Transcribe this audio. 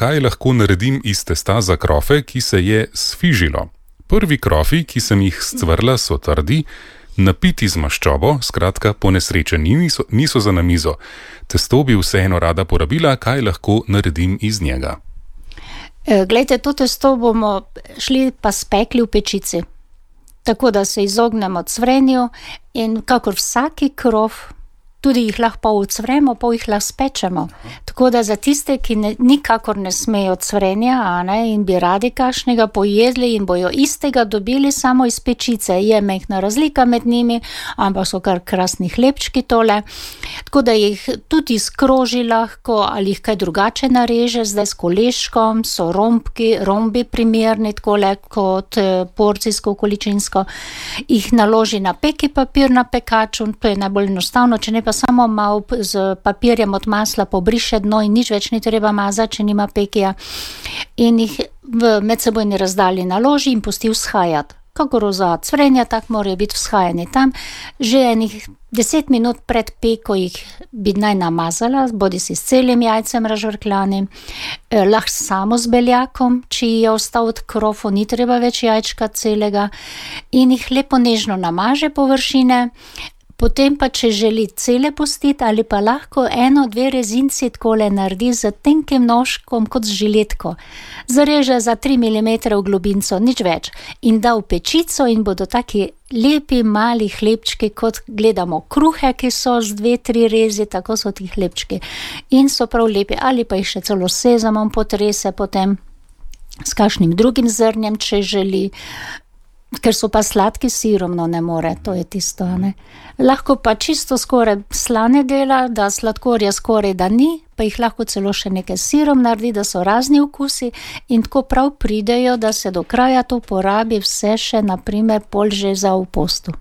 kaj lahko naredim iz testa za krofe, ki se je sfižilo. Prvi krofi, ki sem jih scvrla, so trdi, napiti z maščobo, skratka ponesrečeni, niso za na mizo. Testo bi vseeno rada porabila, kaj lahko naredim iz njega. Glejte, to testo bomo šli pa spekli v pečici. Tako da se izognemo cvrenju in kakor vsaki krof, tudi jih lahko pol ucvremo, pol jih lahko spečemo. Tako da za tiste, ki nikakor ne smejo cvrenja, in bi radi kakšnega pojedli in bojo istega dobili samo iz pečice. Je majhna razlika med njimi, ampak so kar krasni hlebčki tole. Tako da jih tudi skroži lahko ali jih kaj drugače nareže, zdaj s koleškom, so rombi primerni, takole kot porcijsko, količinsko. Jih naloži na peki papir na pekaču, to je najbolj enostavno, če ne pa samo malo z papirjem od masla pobriše dno in nič več ni treba mazati, če nima pekija. In jih v medsebojni razdalji naloži in pusti vzhajati. Kakor za cvrenja, tak morajo biti vzhajani tam. Že enih 10 minut pred peko jih bi naj namazala, bodisi s celim jajcem razžvrkljanim, lahko samo z beljakom, če je ostal od krofov, ni treba več jajčka celega, in jih lepo nežno namaže površine. Potem pa, če želi cele pustiti, ali pa lahko 1-2 rezinci takole naredi z tenkim nožkom kot z žiletko. Zareže za 3 mm v globinco, nič več. In da v pečico in bodo taki lepi mali hlebčki, kot gledamo kruhe, ki so z 2-3 rezi, tako so ti hlebčki. In so prav lepi, ali pa jih še celo s sezamom potrese potem, s kakšnim drugim zrnjem, če želi. Ker so pa sladki sirom, no ne more, to je tisto, ne. Lahko pa čisto skoraj slane dela, da sladkorja skoraj da ni, pa jih lahko celo še nekaj sirom naredi, da so razni okusi in tako prav pridejo, da se do kraja to porabi vse še, na primer, pol že za v postu.